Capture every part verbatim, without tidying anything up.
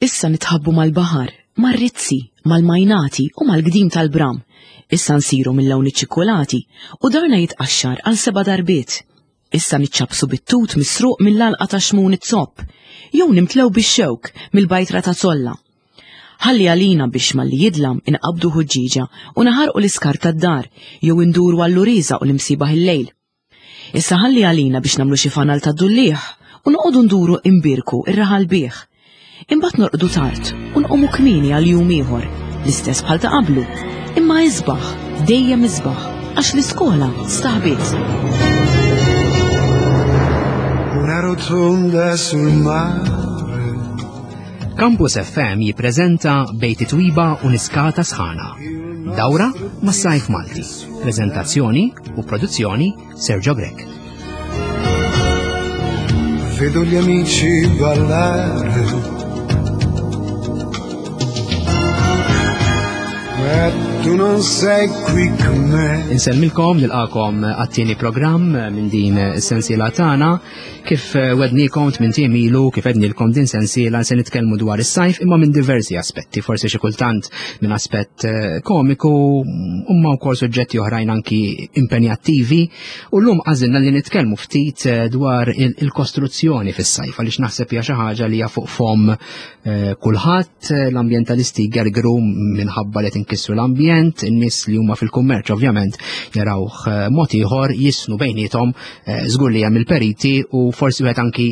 Issa nitħabbu mal-baħar, mar-rizzi, mal-majnati u mal-gdim tal-bram. Issa nsiru mill-lawn iċ-ċikkulati u darna jitqaxxar għal seba' darbiet. Issa niċċabsu bit-tut misruq mill-alqa ta' xmun it-zopp, jew nimtlew bix-xewk mill-bajtra ta' zolla. Ħalli għalina biex malli jidlam inqabdu ħuġġiġa u naħarqu l-iskar tad-dar jew induru għall-uriża u l-imsibaħ il-lejl. Issa ħalli għalina biex nagħmlu xi fanal ta' dulliħ u noqogħdu nduru imbirku ir-raħal bih. Imbagħad norqdu tard u nqumu kmieni għal jum ieħor, l-istess bħal ta' qablu. Imma isbaħ, dejjem isbaħ, għax l-iskola staħbiet. Una rotonda sul mare. Campus F M jippreżenta Bejt Twiba u Niskata Sħana. Dawra mas-Sajf Malti. Prezentazzjoni u produzzjoni Sergio Grech. Vedo gli amici ballare. Ma tu non sei qui con me. Insellmilkom, nilqakom għat-tieni programm minn din is-sensiela tagħna. Kif wednikom tmien ilu, kif għednilkom din sensiela se nitkellmu dwar is-sajf imma minn diversi aspetti, forsi xi kultant minn aspett eh, komiku, imma wkoll suġġetti oħrajn anki impenjattivi. U llum għażilna li nitkellmu ftit eh, dwar il-kostruzzjoni fis-sajf, għaliex naħseb hija xi ħaġa li hija fuq fom eh, kulħadd, l-ambjentalisti gergru minħabba li tinkissru l-ambjent, in-nies li huma fil-kummerċ ovvjament jarawh mod ieħor, jisnu bejniethom, żgur li hemm il-periti u forsi wieħed anki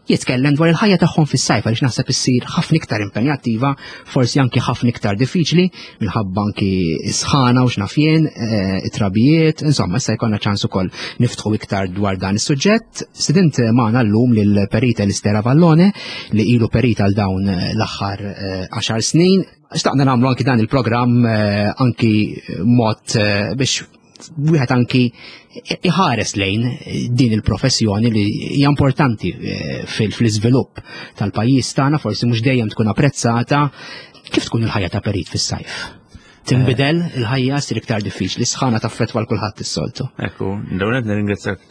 jitkellem dwar il-ħajja tagħhom fis-sajf, għaliex naħseb issir ħafna iktar impenjattiva, forsi anki ħafna iktar diffiċli minħabba anki sħana u x'naf jien, it-trabijiet, insomma issa jkollna ċans ukoll niftħu iktar dwar dan is-suġġett. Stedint magħna llum lill-perita Listera Vallone li ilu perita għal dawn l-aħħar għaxar snin. Xtaqna nagħmlu anki dan il-programm anki mod biex wieħed anki iħares lejn din il-professjoni li hija importanti fil-iżvilupp tal-pajjiż tagħna, forsi mhux dejjem tkun apprezzata. Kif tkun il-ħajja ta' perit fis-sajf? Tinbidel il-ħajja, ssir iktar diffiċli, sħana taffettwa l kulħadd is-soltu. Ekku, l-ewwel nirringrazzjak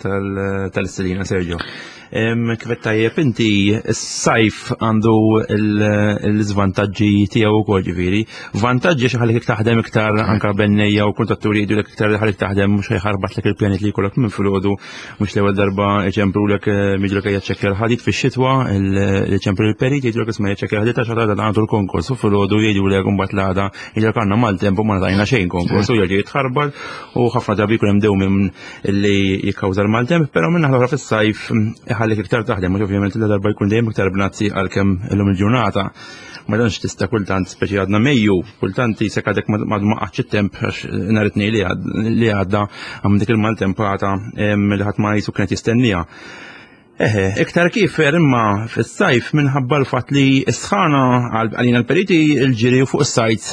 tal-istedina, Sergio. Kif tajjeb inti, s-sajf għandu l-iżvantaġġi tiegħu wkoll, ġifieri. Vantaġġi xi ħallik taħdem iktar, anke bennejja u kuntatturi jgħidulek iktar li ħallik taħdem, mhux ħajħarbatlek il-pjanit li jkollok minn filgħodu, mhux l-ewwel darba iċemprulek miġlek jaċċekkja l-ħadid fix-xitwa, iċempru l-perit jgħidulek isma' jaċċekkja l-ħadid għax għadha għandu l-konkors, u filgħodu jgħidulek imbagħad l-għada jgħidulek għandna maltemp u ma ngħatajna xejn konkors, u jerġa' jitħarbal u ħafna drabi jkun hemm dewmien li jikkawża l-maltemp, però minn naħa fis-sajf ħallik iktar taħdem, mhux ovvjament la darba jkun dejjem iktar bnazzi għalkemm illum il-ġurnata. Ma tantx tista' kultant, speċi għadna Mejju, kultant jisek għadek ma qatx it-temp għax nhar it-tnejn li għadda għam dik il-maltempata li ħadd ma jisu kienet jistennija. Eħe, iktar kif imma fis-sajf minħabba l-fatt li s-sħana għalina l-periti il-ġiri fuq is-sajt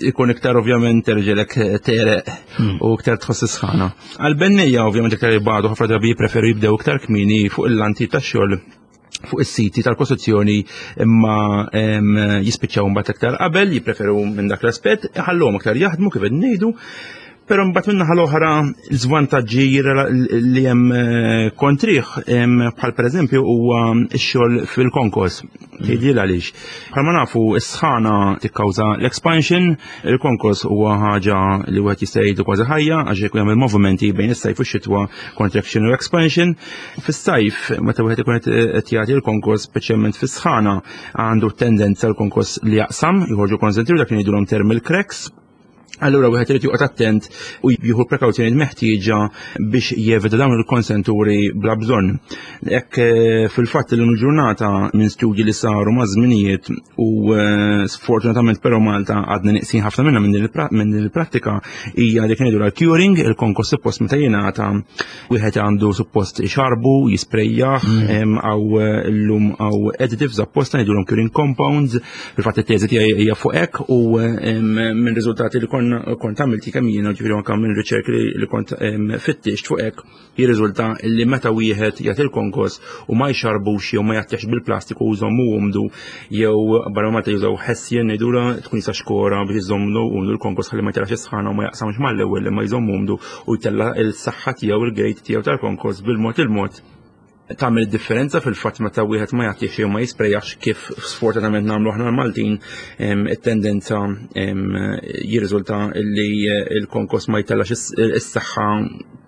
ikun iktar ovvjament terġelek tereq u iktar tħoss is-sħana. Għal-bennejja ovvjament iktar jibgħadu, ħafna drabi jippreferu jibdew iktar kmieni fuq il-lanti tax-xogħol fuq is-siti tal-kostruzzjoni, imma jispiċċaw mbagħad iktar qabel, jippreferu minn dak l-aspett, ħallhom iktar jaħdmu kif qed ngħidu. Però mbagħad minn naħa l-oħra l-żvantaġġi li hemm kontrih, bħal pereżempju huwa x-xogħol fil-konkors. Tgħidli għaliex. Bħalma nafu s-sħana tikkawża l-expansion, il-konkors huwa ħaġa li wieħed jista' jgħidu kważi ħajja għax ikun hemm il-movimenti bejn is-sajf u x-xitwa, contraction u expansion. Fis-sajf meta wieħed ikun qed jagħti l-konkors, speċjalment fis-sħana, għandu tendenza l-konkors li jaqsam, joħorġu konsentri dak li ngħidulhom thermal cracks. Allura wieħed irid joqgħod attent u jieħu prekawzjonijiet meħtieġa biex jevita dawn il-konsenturi bla bżonn. Hekk fil-fatt illum il-ġurnata minn studji li saru ma' żminijiet u sfortunatament però Malta għadna nieqsin ħafna minnha minn din il-prattika, hija dik ngħidu l-curing, il-konkos suppost meta jingħata wieħed għandu suppost ixarbu, jisprejjaħ, għaw illum għaw additives apposta ngħidulhom curing compounds. Fil-fatt it-teżi tiegħi hija fuq hekk u minn riżultati li kont kont għamilti kemm jiena, ġifieri anke minn riċerki li kont fittixt fuq hekk, jirriżulta li meta wieħed jagħti l-konkos u ma jxarbux jew ma jagħtix bil-plastiku u jżommu umdu, jew barra Malta jużaw ħessien ngħidulha tkun jista' xkora biex iżommu umdu l-konkos ħalli ma jtelax is-sħana u ma jaqsamx mal-ewwel, imma jżommu umdu u jtella' l-saħħa tiegħu, il-grade tiegħu tal-konkos bil-mod il-mod. Tagħmel differenza fil-fatt meta wieħed ma jagħtix jew ma jisprejjax, kif sfortunatament nagħmlu aħna l-Maltin, it-tendenza jirriżulta li il-konkos ma jtellax is-saħħa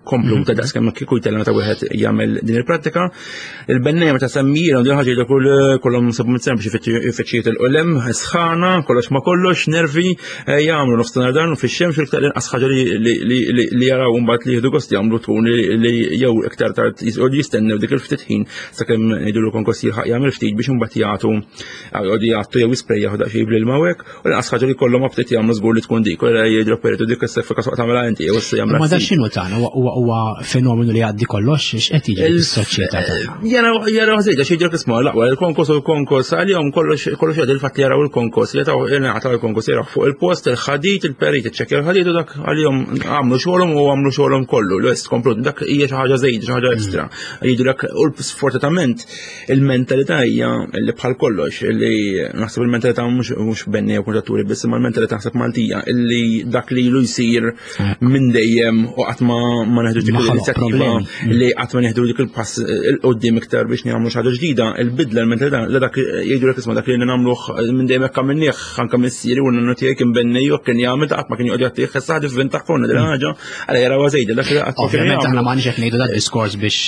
kompluta mhm. daqs kemm kieku jtella meta wieħed jagħmel din il-prattika. Il-bennejja meta semmilhom din ħaġa kull kollhom sabu mit biex ifittxijiet il-qolem, sħana, kollox ma kollox, nervi, eh, jagħmlu nofsinhar dan u fix-xemx, iktar inqas ħaġa li jaraw mbagħad li jieħdu gost jagħmlu tkun li jew iktar tard jistennew dik il-ftit ħin sakemm jgħidu konkos jilħaq jagħmel ftit biex imbagħad jagħtu jagħtu jew jisprejjaħu daqsxejn bl-ilma hekk, u l-inqas ħaġa li kollhom aptit jagħmlu żgur li tkun dik, u jgħidu peritu dik is-seffika soq tagħmilha inti jew issa jagħmel. Ma da x'inhu tagħna, huwa fenomenu li għaddi kollox, x'qed jiġri fis-soċjetà tagħna? Jara jara ħżejda xi jġrek isma' l-aqwa il-konkos u l-konkos għalihom kollox kollox jgħid il-fatt li jaraw il-konkos, li taw jingħataw il-konkos, jaraw fuq il-post il-ħadid, il-perit iċċekkja il-ħadid u dak għalihom għamlu xogħolhom u għamlu xogħolhom kollu, lest komplut, dak hija xi ħaġa żejda, xi ħaġa ekstra. Jgħidulek, u sfortunatament il-mentalità hija li bħal kollox, li naħseb il-mentalità mhux benni jew kuntratturi biss, imma l-mentalità naħseb Maltija illi dak li ilu jsir minn dejjem u qatt ma ma neħdu dik l-inizjattiva, li qatt ma neħdu dik il-pass il qudiem iktar biex nagħmlu xi ħaġa ġdida, il-bidla, l-mentalità li dak jgħidu isma' dak li nagħmluh minn dejjem hekk għamilnieh, anke missieri u n-nonnu tiegħi kien bennej u kien jagħmel, qatt ma kien joqgħod jagħtih issa ħad ivvinta ħafna din ħaġa, għala jaraw żejda dak li qatt. Ovvjament aħna m'għandniex qed ngħidu dat diskors biex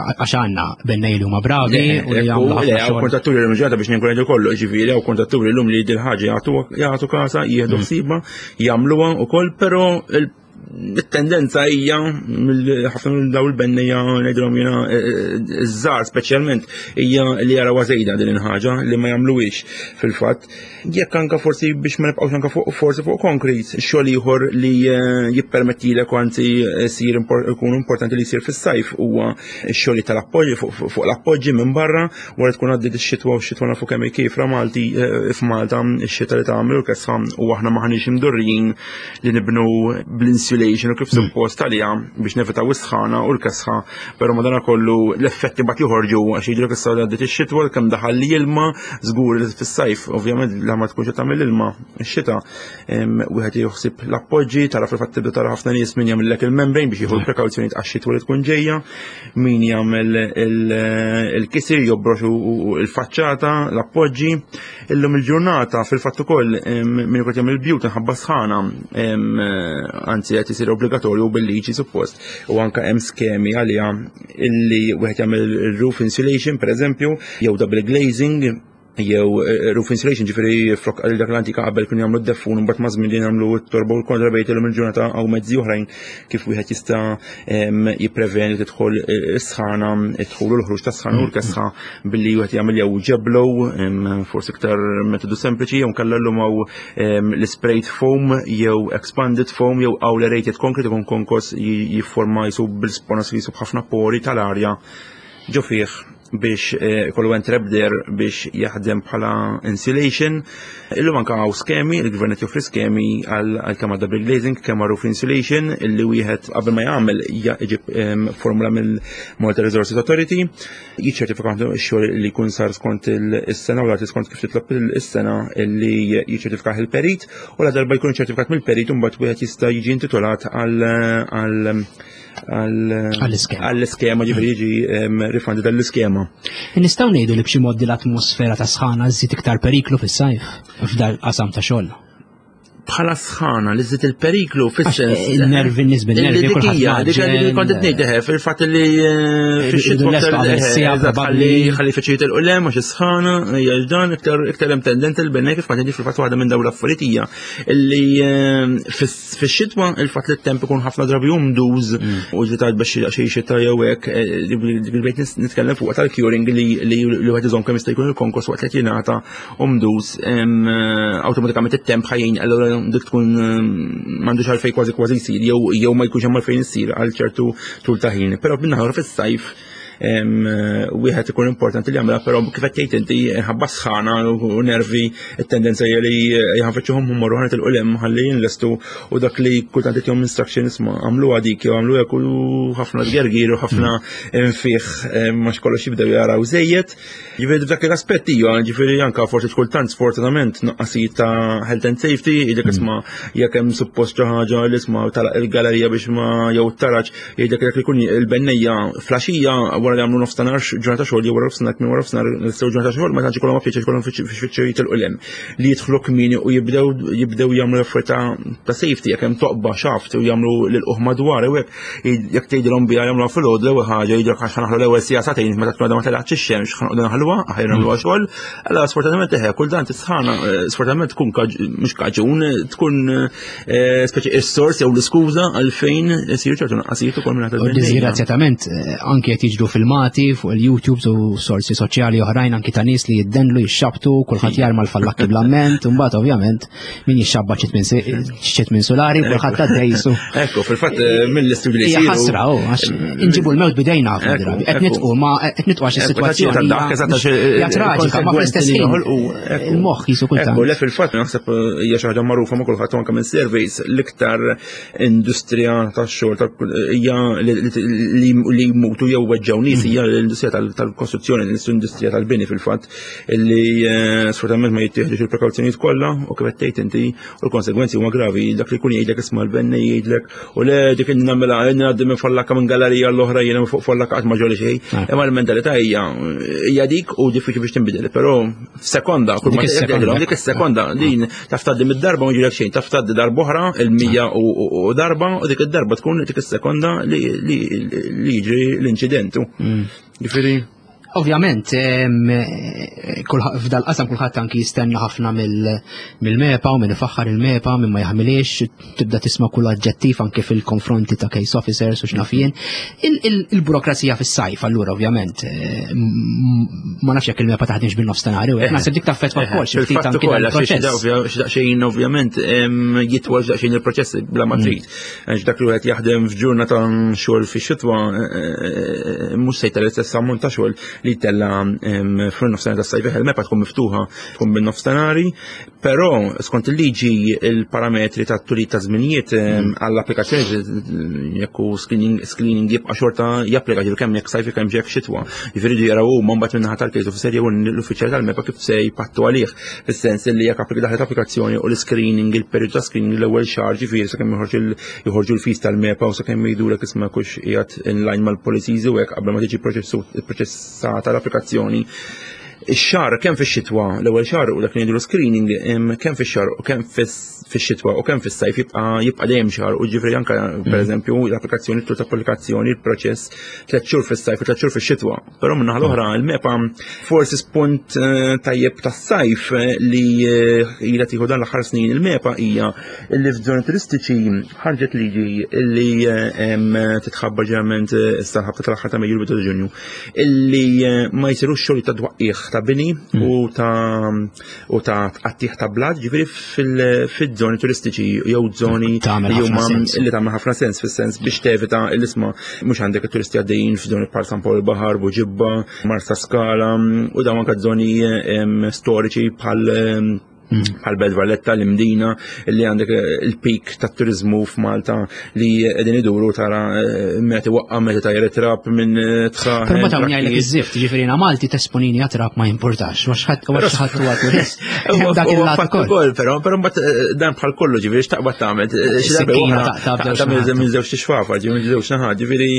għax għandna bennej li huma bravi u li jagħmlu ħafna xogħol. Kontratturi l ġurnata biex nkun ngħidu kollu, ġifieri hawn kontratturi llum li dil ħaġa jagħtu kasa, jieħdu ħsiebha, jagħmluha wkoll, però it-tendenza hija ħafna minn daw il-bennejja, ngħidilhom jiena iż-żgħar speċjalment, hija li jaraw żejda din il-ħaġa li ma jagħmluhiex fil-fatt. Jekk anka forsi biex ma nibqgħux anka fuq forsi fuq konkret, xogħol ieħor li jippermettilek u anzi jsir ikun importanti li jsir fis-sajf huwa x-xogħol tal-appoġġi fuq l-appoġġi minn barra wara tkun għaddiet ix-xitwa, u x-xitwa nafu kemm kifra Malti f'Malta, ix-xita li tagħmel u l-kesħa, u aħna maħniex imdorrijin li nibnu bl-insulation u kif suppost għalija biex nevitaw is-sħana u l-kesħa, però madanakollu l-effetti bat joħorġu għax jidrek issa għaddiet ix-xitwa kemm daħal li ilma, żgur li fis-sajf ovvjament la ma tkunx qed tagħmel ilma x-xita, wieħed joħsib l-appoġġi, tara fil-fatt tibda tara ħafna nies min jagħmellek il-membrane biex jieħu l-prekawzjoni għax-xitwa li tkun ġejja, min jagħmel il-kisir jobrox il-faċċata, l-appoġġi. Illum il-ġurnata fil-fatt ukoll min ikun jagħmel il-bjut inħabba sħana, anzi qed isir obbligatorju bil-liġi suppost, u anke hemm skemi għaliha illi wieħed jagħmel roof insulation pereżempju, jew double glazing, jew roof insulation, ġifieri flok għal dak l-antika qabel kienu jagħmlu d-deffun, mbagħad ma' żmien li jagħmlu t-torba u l-kontrabejt, illum il-ġurnata hawn mezzi oħrajn kif wieħed jista' jippreveni tidħol is-sħana, id-dħul u l-ħruġ tas-sħana u l-kesħa billi wieħed jagħmel jew ġeblow, forsi iktar metodu sempliċi, jew nkella llum hawn l-sprayed foam jew expanded foam jew aerated concrete, ikun konkos jifforma jisu bil-sponas jisu b'ħafna pori tal-arja ġo fih biex kollu entrap there biex jaħdem bħala insulation. Illum anka hawn skemi, il-gvern qed joffri skemi għal kemm double glazing, kemm roof insulation, illi wieħed qabel ma jagħmel jġib formula mill-Malta Resources Authority, jiċċertifika x-xogħol li jkun sar skont is-sena u l skont kif titlob is-sena illi jiċċertifika il-perit, u la darba jkun ċertifikat mill-perit imbagħad wieħed jista' jiġi intitolat għal għall-iskema, ġifieri jiġi rifandi dall-iskema. Nistgħu ngħidu li b'xi mod l-atmosfera ta' sħana żżid iktar periklu fis-sajf f'dal qasam ta' xogħol? Bħala sħana li żżid il-periklu fis-sens. Il-nervi, n-nies bil-nervi, kulħadd. Dik li kont qed ngħid eħe, fil-fatt li fix-xitwa ħalli ħalli feċijiet il-qulem għax is-sħana hija dan iktar iktar hemm tendenza l-bennej kif kont fil-fatt waħda minn dawn l-affarijiet hija illi fix-xitwa il-fatt li t-temp ikun ħafna drabi umduż u ġli tgħid biex xi xita jew hekk, bil-bejt nitkellem fuq tal-curing li li wieħed iżomm kemm jista' jkun il-konkos waqt li jingħata umduż, awtomatikament it-temp ħajjin allura dik tkun m'għandux għalfejn kważi kważi jsir jew jew ma jkunx hemm għalfejn isir għal ċertu tul ta' ħin. Però min-naħa fis-sajf wieħed ikun importanti li jagħmilha, però kif qed tgħid inti ħabba sħana u nervi it-tendenza hija li jħanfittxuhom morru ħanet il-qulem ħalli jinlestu, u dak li kultant qed jom instruction isma' għamlu dik jew għamlu hekk u ħafna tgergir u ħafna infih ma xkollox jibdew jaraw żejjed. Ġifieri f'dak l-aspett hija, ġifieri anke forsi kultant sfortunatament nuqqasijiet ta' health and safety, jgħidlek isma' jekk hemm suppost xi ħaġa li isma' talaq il-galerija biex ma jew t-taraġ, jgħidlek jekk ikun il-bennejja flaxija wara li għamlu nofstanhar ġurnata xogħol jew wara nofsinhar minn wara nofsinhar nistgħu ġurnata xogħol ma tantx ikollhom pjaċir ikollhom fiċċew jitilqu lem li jidħlu kmieni u jibdew jibdew jagħmlu affarijiet ta' safety jekk hemm toqba xaft u jagħmlu lil madwar u hekk jekk tgħidilhom biha jagħmluha filgħodu l-ewwel ħaġa jgħidulek għax ħanaħlu l-ewwel siegħa sagħtejn meta tkun għadha ma telgħatx ix-xemx ħanqogħdu naħluha aħjar nagħmluha xogħol. Allora sfortunatament eħe kull dan tisħana sfortunatament tkun mhux kaġun tkun speċi is-sors jew l-iskuża għalfejn isiru ċertu naqqasijiet ukoll minn U disgrazzjatament anke qed jiġru filmati fuq il-YouTube u sorsi soċjali oħrajn anki ta' nies li jiddenlu jixxabtu kulħadd jarma l-fallakki bl-amment u mbagħad ovvjament min jixxabba ċit minn solari kulħadd għaddejsu. Ekku, fil-fatt mill-istudji li Hija ħasra oh, għax inġibu l-mewt bidejna ħafna drabi. Qed nitqu ma qed nitqu għax is-sitwazzjoni hija traġika ma fl-istess ħin il-moħħ jisu kultant. Ekku, le fil-fatt naħseb hija xi ħaġa magħrufa ma' kulħadd anke minn surveys l-iktar industrija tax-xogħol hija li jmutu jew weġġgħu nies hija l-industrija tal-kostruzzjoni, l-industrija tal-bini fil-fatt li sfortunatament ma jittieħdux il-prekawzjonijiet kollha u kif qed tgħid inti u l-konsegwenzi huma gravi dak li jkun jgħidlek isma' l-benni jgħidlek u le dik inni nagħmilha ngħaddi minn fallakka minn gallerija l-oħra jiena fuq fallakka qatt ma ġoli xejn. Imma l-mentalità hija hija dik u diffiċli biex tinbidel, però f'sekonda kull ma tgħidilhom dik is-sekonda din taf tgħaddi mid-darba ma jiġrilek xejn, taf tgħaddi darba oħra il-mija u darba u dik id-darba tkun dik is-sekonda li jiġri l-inċident. Ġifieri Ovvjament, f'dal-qasam kulħadd anki jistenna ħafna mill-MEPA u minn ifaħħar il-MEPA minn ma jaħmilix, tibda tisma' kull aġġettiv anki fil-konfronti ta' case officers u x'naf jien. Il-burokrazija fis-sajf allura ovvjament ma nafx jekk il-MEPA taħdimx bin-nofstanhar u naħseb dik taffettwa wkoll xi ftit anki dal-proċess. Xi ovvjament jitwal daqsxejn il-proċess bla ma trid. Għax dak li wieħed jaħdem f'ġurnata xogħol fix-xitwa mhux se jtella l-istess ammont ta' xogħol li tella fil-nofstanhar tas-sajf il-MEPA tkun miftuħa tkun bin-nofstanhari, però skont il-liġi il-parametri ta' tulit ta' żminijiet għall-applikazzjoni jekk hu screening jibqa' xorta japplika ġifieri kemm jekk sajfi kemm jekk xitwa. Jiġifieri jaraw huma mbagħad min-naħa tal-case officer jew l-uffiċjal tal-MEPA kif se jpattu għalih fis-sens li jekk applika daħlet applikazzjoni u l-screening il-perjodu ta' screening l-ewwel xahar ġifieri sakemm joħorġu l-fees tal-MEPA u sakemm jgħidulek isma' kux qiegħed in line mal-policies u hekk qabel ma tiġi proċessata l-applikazzjoni. Ix-xahar kemm fix-xitwa l-ewwel xahar u dak li ngħidu screening kemm fix-xahar u kemm fix-xitwa u kemm fis-sajf jibqa' jibqa' dejjem xahar u ġifieri anke pereżempju l-applikazzjoni tul ta' applikazzjoni il-proċess tliet xhur fis-sajf u tliet xhur fix-xitwa. Però min-naħa l-oħra il-MEPA forsi spunt tajjeb tas-sajf li ilha tieħu dan l-aħħar snin il-MEPA hija li f'żoni turistiċi ħarġet liġi li titħabbar ġeneralment issa ħabta tal-aħħar ta' Mejju l-bidu ta' Ġunju illi ma jsirux xogħol ta' twaqqigħ ta' bini u ta' u ta' tqattih ta' blat ġifieri fil-żoni turistiċi jew żoni li huma li tagħmel ħafna sens fis-sens biex tevita l-isma mhux għandek it-turisti għaddejjin f'żoni bħal San Pawl il-Baħar, Buġibba, Marsa Skala u dawn anke żoni storiċi bħal bħal Belt Valletta, l-Imdina, li għandek il-pik ta' turizmu f'Malta li qegħdin iduru tara meta waqqa meta tajjer trab minn tħaħ. Però ma tawni għajlek iż-żift, ġifieri jiena Malti tesponini għat-trab ma jimpurtax, għax ħadd huwa turist. Dak il-lat ukoll, però però mbagħad dan bħal kollu ġifieri x'taqbad tagħmel. Xi darba taqta' minn żewġ tixfafa, ġifieri minn żewġ naħat, ġifieri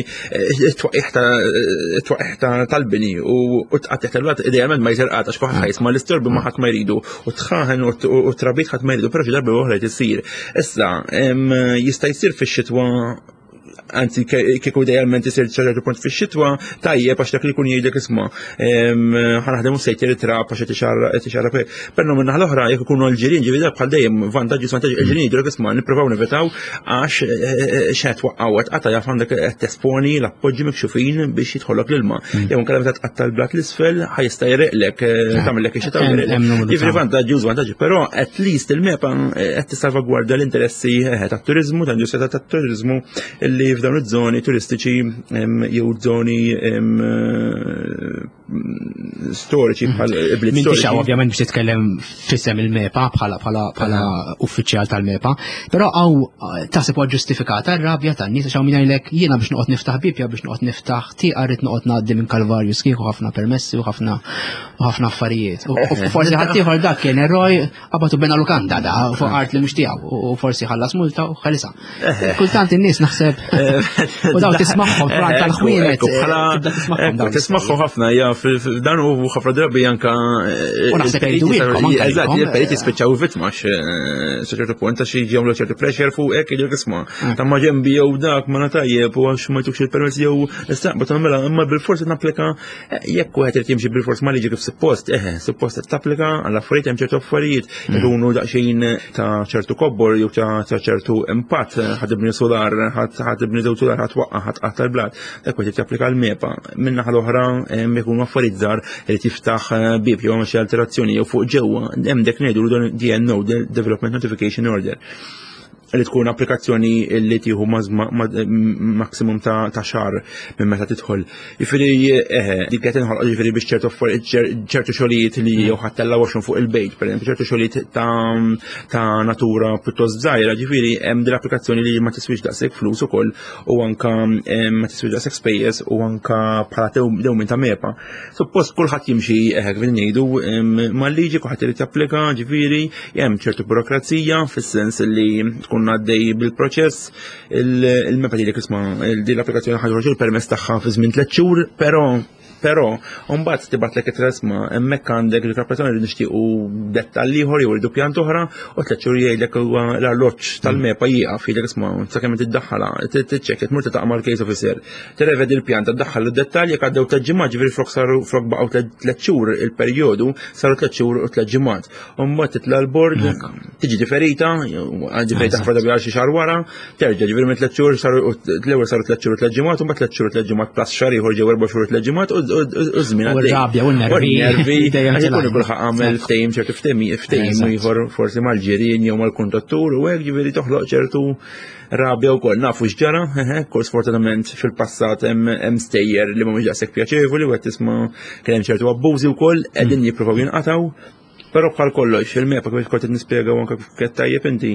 it-twaqqigħ tal-bini u tqattih tal-lat idealment ma jsir qatt għax kulħadd ħajsma' l-istorbi ma ħadd ma jridu u tħaħen u trabit ħadd ma jridu, però xi darba oħra isir. Issa jista' jsir fix-xitwa, anzi kieku idealment isir ċertu punt fix-xitwa, tajjeb għax dak li jkun jgħidlek isma' ħa naħdem u sejt trab għax qed ixarrab hekk. Però min-naħa l-oħra jekk ikunu l-ġirien ġifieri dak bħal dejjem vantaġġi svantaġġi il-ġirien jgħidulek isma' nippruvaw nevitaw għax x'qed twaqqgħu qed tqatta' jaf għandek qed tesponi l-appoġġi mikxufin biex jidħollok l-ilma. Jew inkella meta tqatta' l-blat l-isfel ħa jista' jreqlek tagħmellek ix-xita u jreqlek. Jiġifieri vantaġġi u żvantaġġi, però at least il-MEPA qed tissalvagwardja l-interessi tat-turiżmu, tal-industrija tat-turiżmu li f'dawn iż-żoni turistiċi jew żoni storiċi bħal bliet storiċi. M'intix ovvjament biex titkellem f'isem il-MEPA bħala bħala bħala uffiċjal tal-MEPA, però hawn taħseb huwa ġustifikata r-rabja tan-nies għax hawn min jgħidlek jiena biex noqgħod niftaħ bibja biex noqgħod niftaħ tieqa rrid noqgħod ngħaddi minn Kalvarju sħiħ u ħafna permessi u ħafna u ħafna affarijiet. U forsi ħaddieħor dak kien eroj qabad u bena lukanda da fuq art li mhux tiegħu u forsi ħallas multa u ħalisa. Kultant in-nies naħseb. U daw tismagħhom fran tal-ħwienet. Tibda tismagħhom dawn. Tismagħhom ħafna, ja, dan u ħafna drabi anka. U naħseb jgħidu. Eżatt, il-periti spiċċaw vittma sa ċertu punt għax jagħmlu ċertu pressure fuq hekk jgħidulek isma' ta' ma ġembi jew dak ma tajjeb u għax ma jtukx il-permess jew istaqbad tagħmilha, imma bil-forsi napplika jekk wieħed irid jimxi bil-fors ma liġi kif suppost, eħe, suppost qed tapplika għall affarijiet, hemm ċertu affarijiet ikunu daqsxejn ta' ċertu kobbor jew ta' ċertu impatt, ħa tibni solar, ħa tibni żewġ solar, ħa twaqqa', ħa tqatta' l-blat, dak wieħed japplika l-MEPA. Min-naħa l-oħra jkunu affarijiet żgħar li tiftaħ bib jew xi alterazzjoni jew fuq ġewwa, hemm dak ngħidu D N O, Development Notification Order, li tkun applikazzjoni li tieħu maksimum ta' xahar minn meta tidħol. Jiġifieri eħe, dik qed inħolq jiġifieri biex ċertu ċertu xogħlijiet li jew ħa ttella' washroom fuq il-bejt, pereżempju, ċertu xogħlijiet ta' natura pjuttost żgħira, ġifieri hemm din l-applikazzjoni li ma tiswix daqshekk flus ukoll u anka ma tiswix daqshekk spejjeż u anka bħala dewmin ta' MEPA. Suppost kulħadd jimxi, eħe, kif ngħidu, mal-liġi, kulħadd irid japplika, ġifieri hemm ċertu burokrazija fis-sens li tkun għaddej bil-proċess, il-MEPA li isma' din l-applikazzjoni ħa joħroġ il-permess tagħha fi żmien tliet xhur, però però mbagħad tibgħatlek it-tresma hemmhekk għandek l-applikazzjoni li nixtiequ dettall ieħor jew irridu pjant oħra, u tliet xhur jgħidlek huwa l-arloġġ tal-MEPA jieqaf, jgħidlek isma' sakemm tiddaħħalha, tiċċekkja, tmur tiltaqa' mal-case officer, tirrevedi l-pjan, tiddaħħal id-dettalji, jekk għaddew tliet ġimgħat, ġifieri flok saru flok baqgħu tliet xhur il-perjodu, saru tliet xhur u tliet ġimgħat. U mbagħad titla' l-bord, tiġi diferita, diferita ħafna drabi għal xi xahar wara, terġa' ġifieri minn tliet xhur saru l-ewwel saru tliet xhur u tliet ġimgħat, u mbagħad tliet xhur u tliet ġimgħat plus xahar ieħor ġew erba' xhur u tliet ġimgħat u żmien. U r-rabja u n-nervi. Nervi, għax ikun kulħadd għamel ftehim, ċertu ftehim ftehim ieħor forsi mal-ġirien jew mal-kuntattur u hekk, ġifieri toħloq ċertu rabja wkoll. Nafu x'ġara, eħe, kol sfortunatament fil-passat hemm stejjer li mhumiex daqshekk pjaċevoli u qed tisma' kien hemm ċertu abbużi wkoll qegħdin jippruvaw jinqatgħu. Però bħal kollox, il-MEPA kif kont qed nispjega u anke kif tajjeb inti,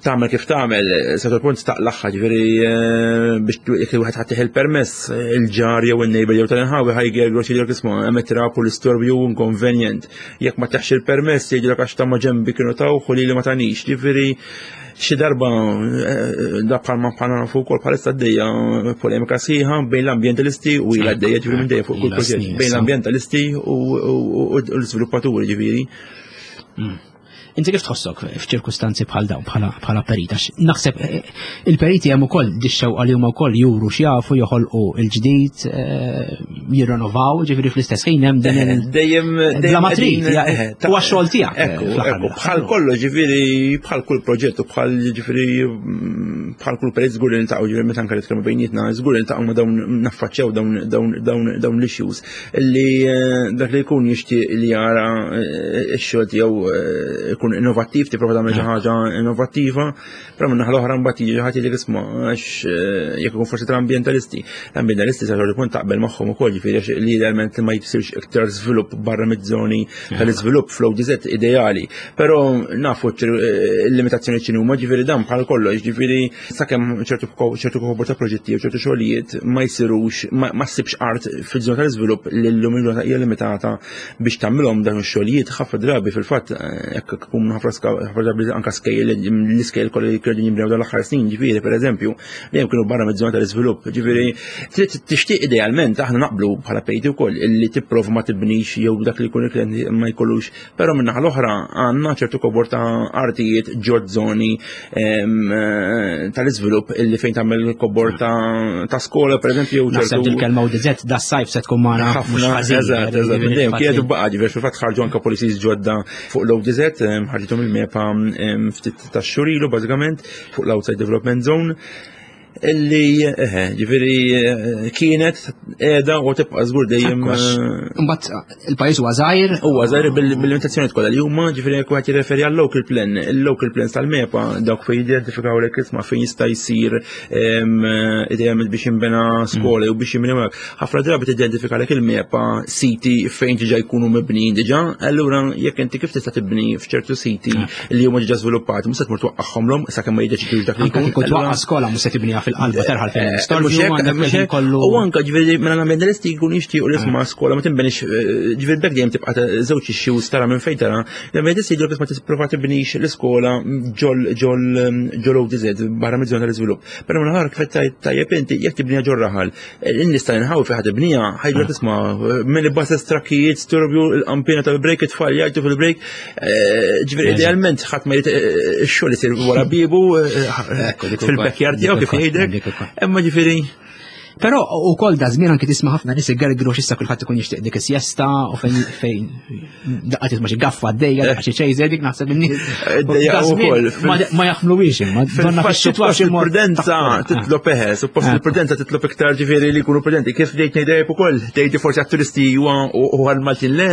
tagħmel kif tagħmel, sa punt taqlaħħa, ġifieri biex jekk wieħed ħadd il-permess, il-ġar jew in-neighbor jew tal-inħawi ħa jgergru xi isma' hemm trab u l-istorbju inconvenient. Jekk ma taħx il-permess jgħidulek għax ta' ma ġembi kienu taw u li ma tanix, ġifieri xi darba da bħalma bħalma nafu wkoll bħalissa għaddejja polemika sħiħa bejn l-ambjentalisti u ilha għaddejja, ġifieri minn dejjem fuq kull proġett, bejn l-ambjentalisti u l-iżviluppaturi, ġifieri. Inti kif tħossok f'ċirkustanzi bħal dawn bħala perit? Għax naħseb eh, il-periti hemm ukoll dix-xewqa li huma wkoll juru x'jafu, joħolqu il-ġdid, eh, jirrenovaw, ġifieri fl-istess ħin hemm din il- Dejjem Bla ma trid, huwa x-xogħol tiegħek. Ekku, ekku, bħal kollu, ġifieri bħal kull proġett u bħal ġifieri mm, bħal kull perit żgur li niltaqgħu, ġifieri meta anke nitkellmu bejnietna, żgur li niltaqgħu ma' dawn, naffaċċjaw dawn dawn dawn dawn l-issues li eh, dak li jkun jixtieq li jara x-xogħol tiegħu jkun innovattiv, tipprova tagħmel xi ħaġa innovattiva, però minn naħa l-oħra mbagħad jiġi ħadd jgħidlek isma' għax jekk ikun forsi tal-ambjentalisti. L-ambjentalisti sa ċertu punt taqbel magħhom ukoll, ġifieri għax li idealment ma jsirx iktar żvilupp barra miż-żoni tal-iżvilupp fl-O D Z ideali. Però nafu l-limitazzjoni x'inhu huma, ġifieri dan bħal kollox, ġifieri sakemm ċertu ċertu kobor ta' proġetti u ċertu xogħlijiet ma jsirux, ma ssibx art fiż-żona tal-iżvilupp li llum il-ġurnata hija limitata biex tagħmilhom dawn ix-xogħlijiet. Ħafna drabi fil-fatt jekk ikun ħafna drabi anka skejjel, l-iskejjel kollha li kienu jinbnew dawn l-aħħar snin, ġifieri pereżempju, dejjem kienu barra miż-żona tal-iżvilupp. Ġifieri trid tixtieq idealment, aħna naqblu bħala periti wkoll illi tipprova ma tibnix jew dak li jkun il-klient ma jkollux, però minn naħa l-oħra għandna ċertu kobor ta' artijiet ġod żoni tal-iżvilupp illi fejn tagħmel kobor ta' skola pereżempju. Naħseb dil-kelma O D Z das-sajf se tkun magħna. Ħafna, eżatt, eżatt, dejjem kienet baqa', ġifieri fil-fatt ħarġu anke policies ġodda fuq l-O D Z, ħarġithom il-MEPA ftit tax-xhur ilu bażikament fuq l-Outside Development Zone illi eh, ġifieri eh, kienet qiegħda u tibqa' żgur dejjem. Imbagħad il-pajjiż huwa żgħir. Huwa żgħir bil-limitazzjoni kollha li huma, ġifieri jekk wieħed jirreferi għal local plan, il-local plans tal-MEPA dawk fejn jidentifikaw lek isma' fejn jista' jsir idealment biex jinbena skola jew biex jinbena, ħafna drabi tidentifika lek il-MEPA siti fejn diġà jkunu mibnijin diġà, allura jekk inti kif tista' tibni f'ċertu siti li huma diġà żviluppati, mhux se tmur twaqqagħhomlhom sakemm ma jiddeċidux dak li jkun. Kieku twaqqa' skola mhux se tibniha fil-qalba terħal fejn l-istorbju kollu. U anka ġifieri mela l-ambientalisti jkun jixtiequ li isma' skola ma tinbenix, ġifieri bekk dejjem tibqa' żewġ issues tara minn fejn tara. L-ambientalisti jgħidu ma tipprova tibnix l-iskola ġol ġol ġol O D Z barra miż-żona tal-iżvilupp. Però minn kif tajjeb inti, jekk tibnija ġol raħal, in-nies tal-inħawi fejn ħa tibnija ħa jgħidu, "Isma', minn buses, trakkijiet, storbju, il-qampina tal-break, it-tfal jgħajtu fil-break." Ġifieri idealment ħadd ma jrid ix-xogħol isir wara bibu fil-backyard tiegħu, kif jgħidek. Imma ġifieri Però ukoll da żmien anki tisma' ħafna nies igergru x'issa kulħadd ikun jixtieq dik is-siesta u fejn fejn daqqa tisma' xi gaffa għaddejja, daqqa xi chaser, dik naħseb in-nies. Ukoll. Ma jaħmluwiex, imma donna fix-xitwa xi prudenza titlob, eħe, suppost il-prudenza titlob iktar, ġifieri li jkunu prudenti. Kif bdejt ngħidek ukoll, tgħidi forsi għat-turisti huwa u għal-Maltin le,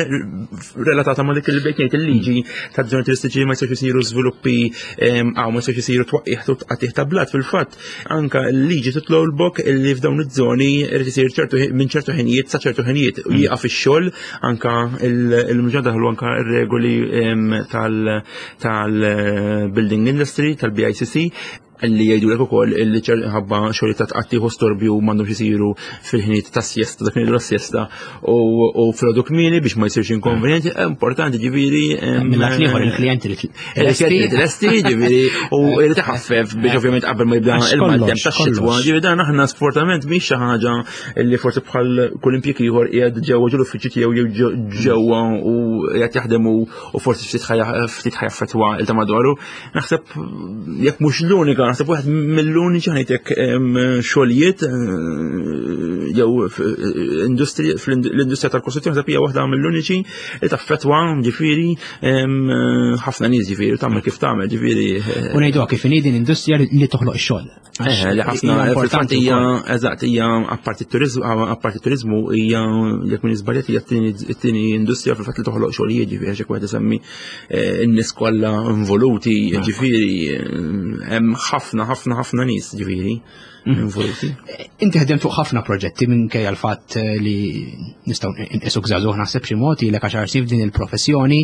relatata ma' dik li bdejt ngħid, il-liġi ta' żoni turistiċi, ma jistgħux isiru żviluppi għaw, ma jistgħux isiru twaqqih tqatigħ ta' blat. Fil-fatt anka l-liġi titlob illi f'dawn iż-żoni irid isir ċertu minn ċertu ħinijiet sa ċertu ħinijiet u jieqaf ix-xogħol. Anka il-mġa daħlu anka r-regoli tal-building industry tal-B I C C li jgħidu lek ukoll illi ħabba xogħol ta' tqattih u storbju m'għandhomx isiru fil-ħinijiet ta' siesta, dak ngħidu siesta, u filgħodu kmieni biex ma jsirx inkonvenjenti, importanti ġifieri. Mill-lat ieħor il-klijenti li il-klijenti lesti ġifieri u li taħaffef biex ovvjament qabel ma jibda il-maltemp tax-xitwa. Ġifieri dan aħna sfortunatament mhix xi ħaġa li forsi bħal kull impjieg ieħor qiegħed ġewwa ġol uffiċċju tiegħu jew ġewwa u qiegħed jaħdem u forsi ftit ftit ħa jaffettwa il ta' madwaru. Naħseb jekk mhux l-unika, naħseb wieħed mill-uniċi ħanejtek xogħlijiet jew industri, fl-industrija tal-kostruzzjoni, naħseb hija waħda mill-uniċi li taffettwa ġifieri ħafna nies, ġifieri tagħmel kif tagħmel ġifieri. U ngħiduha kif inhi, din industrija li toħloq ix-xogħol. Eh, li ħafna fil-fatt hija, eżatt, hija apparti turizmu apparti turizmu hija, jekk minn iżbaljat, hija t-tieni industrija fil-fatt li toħloq xogħlijiet, ġifieri għax wieħed isemmi eh, n-nies kollha involuti, ġifieri hemm ħafna ħafna ħafna nies ġifieri involuti. Inti ħdem fuq ħafna proġetti minkejja l-fatt li nistgħu nqisuk żagħżugħ, naħseb xi mod ilek għaxar snin f'din il-professjoni,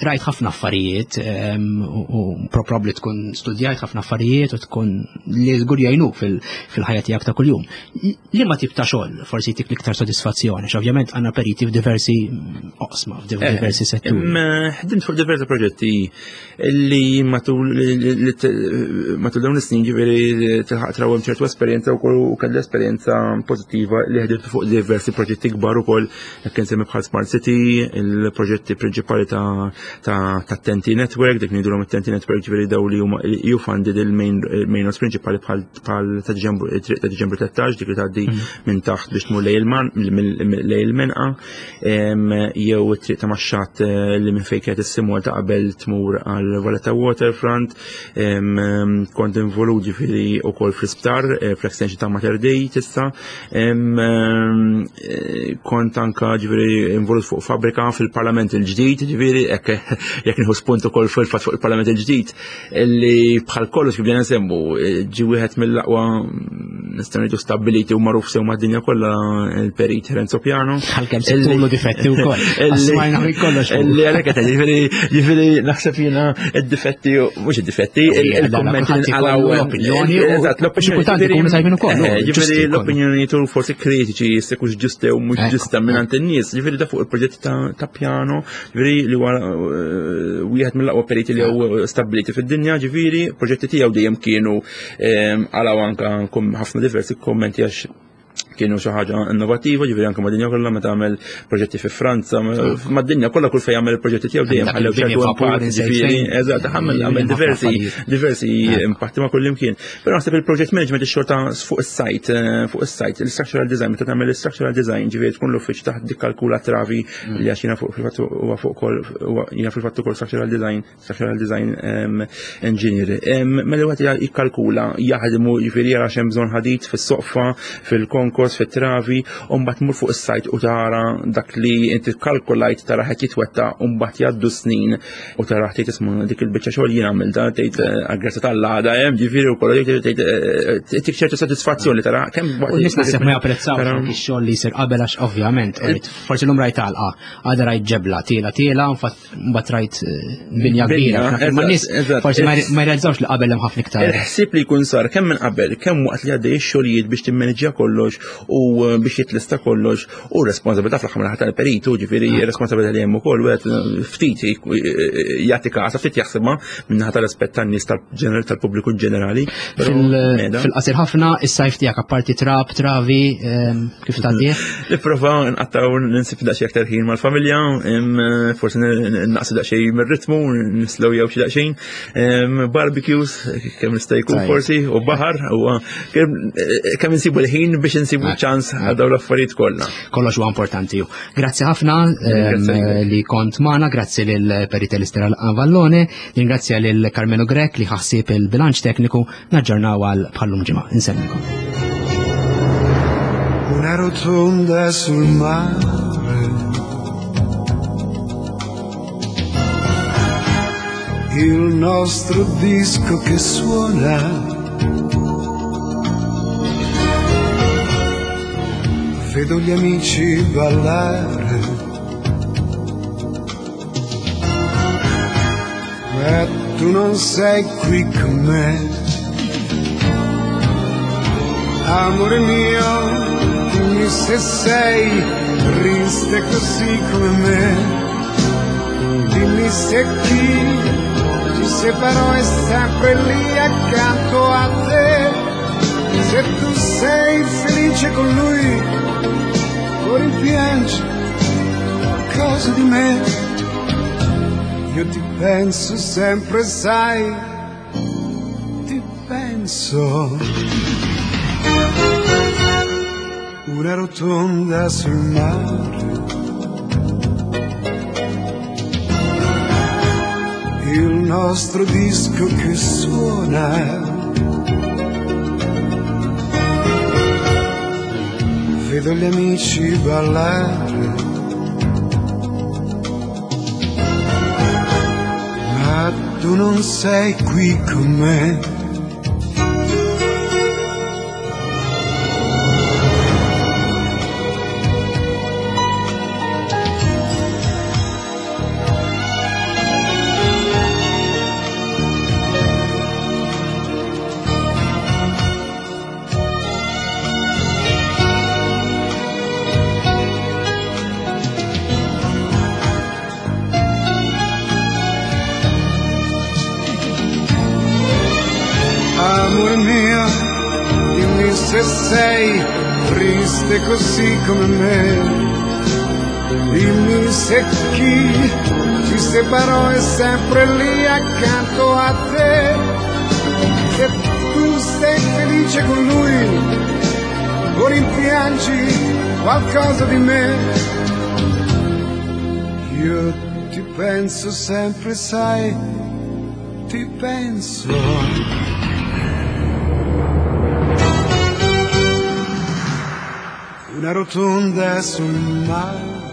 rajt ħafna affarijiet u probabbli tkun studjajt ħafna affarijiet u tkun li żgur jgħinuk fil-ħajja tiegħek ta' kuljum. Liema tip ta' xogħol forsi jtik l-iktar sodisfazzjoni? Ovvjament għandna periti f'diversi oqsma, f'diversi setturi. Ħdimt fuq diversi proġetti li matul matul dawn is-snin ġifieri tilħaq trawhem ċertu esperjenza wkoll u kelli esperjenza pożittiva li ħdimt fuq diversi proġetti kbar ukoll, jekk insemmi bħal Smart City, il-proġetti prinċipali ta' ta' T E N T Network, dik ngħidulhom it-T E N T Network, ġifieri daw li huma E U funded, il-main main roads prinċipali bħal ta' Diċembru, triq ta' Diċembru tlettax, dik li tgħaddi mm. minn taħt biex tmur lejn il-Menqa, jew it-triq ta' Maxxat eh, li minn fejn kienet is-simwal ta' qabel tmur għal Valletta Waterfront. Kont involut ġifieri ukoll fl-isptar, eh, fl-extension ta' Mater Dei tista'. Eh, kont anka ġifieri involut fuq fabrika fil-Parlament il-ġdid, ġifieri jekk nieħu spunt ukoll fil-fatt fuq il-Parlament il-ġdid, li bħal kollox kif bdejna nsemmu, ġi wieħed mill-aqwa, nistgħu ngħidu, stabbiliti u magħruf sew mad-dinja kollha, il-perit Renzo Piano. Għalkemm sibtulu difetti wkoll. Smajna minn kollox. Li għalhekk qed ġifieri ġifieri naħseb jiena id-difetti, mhux id-difetti, il-kommenti nqalgħu l-opinjoni. Eżatt, l-opinjoni. Kultant ikunu tajbin ukoll. Ġifieri l-opinjoni tu forsi kritiċi jissekux ġuste u mhux ġusta minn in-nies. Ġifieri da fuq il-proġett ta' Piano, ġifieri li huwa eh, wieħed mill-aqwa periti li hu stabbiliti fid-dinja, ġifieri proġetti tiegħu dejjem kienu għalaw anka ħafna diversi kommenti għax kienu xi ħaġa innovattiva, ġifieri anke mad-dinja kollha meta għamel proġetti fi Franza, mad-dinja kollha kull fejn jagħmel il-proġetti tiegħu dejjem ħallew ċertu impatt, ġifieri eżatt, għamel għamel diversi diversi impatti ma' kull imkien. Però naħseb il-project management, ix-xogħol ta' fuq is-site, eh, fuq is-site, il-structural design, meta tagħmel il-structural design, ġifieri tkun l-uffiċċju taħt tikkalkula travi, li għax jiena fuq fil-fatt huwa fuq kol jiena fil-fatt ukoll structural design, structural design engineer. Mela wieħed jikkalkula, jaħdmu, ġifieri jara x'hemm bżonn ħadid fis-soqfa, fil-konkos. fil-kolos, fit-travi, u mbagħad tmur fuq is-sajt u tara dak li inti kalkulajt tara qed jitwetta u mbagħad jgħaddu snin u tara tgħid isma' dik il-biċċa xogħol jien għamilta tgħid għall-grazzja tal-għada hemm ġifieri wkoll tgħid tik ċertu sodisfazzjoni tara kemm U nies naħseb ma japprezzawx dak ix-xogħol li jsir qabel għax ovvjament forsi llum rajt għalqa, għada rajt ġebla, tiela tiela, mbagħad rajt binja kbira. Ma nies forsi ma jrealizzawx li qabel hemm ħafna iktar. Il-ħsieb li jkun sar kemm minn qabel, kemm waqt li għaddej ix-xogħlijiet biex timmaneġġja kollox u biex jitlista kollox u responsabilità fl-aħħar mill-aħħar tal-peritu, ġifieri responsabilità li hemm ukoll wieħed ftit jagħti kasa, ftit jaħsibha min-naħa tal-aspett tan-nies tal-pubbliku ġenerali. Fil-qasir ħafna is-sajf tiegħek apparti trab, travi, kif tgħaddih? Nipprova nqattaw ninsib daqsxejn aktar ħin mal-familja, forsi naqsu daqsxejn mir-ritmu, nislow jew xi daqsxejn, barbecues kemm nista' jkun forsi u baħar u kemm insibu l-ħin biex insibu ċans għal dawn l-affarijiet kollha. Kollox huwa importanti. Grazzi ħafna li kont magħna, grazzi lil Perit Alistair Avallone, ringrazzja lil Carmelo Grech li ħassib il-bilanċ tekniku, naġġornaw għal bħallum ġimgħa. Insellmilkom. Una rotonda sul mare, il nostro disco che suona, vedo gli amici ballare, ma tu non sei qui con me. Amore mio, dimmi se sei triste così come me, dimmi se chi ci separò è sempre lì accanto a te, se tu sei felice con lui o rimpiangi qualcosa di me. Io ti penso sempre, sai, ti penso. Una rotonda sul mare, il nostro disco che suona, vedo gli amici ballare, ma tu non sei qui con me. Amore mio, dimmi se sei triste così come me, dimmi se chi ci separò è sempre lì accanto a te, se tu sei felice con lui o rimpiangi qualcosa di me. Io ti penso sempre, sai, ti penso. Una rotonda sul mare,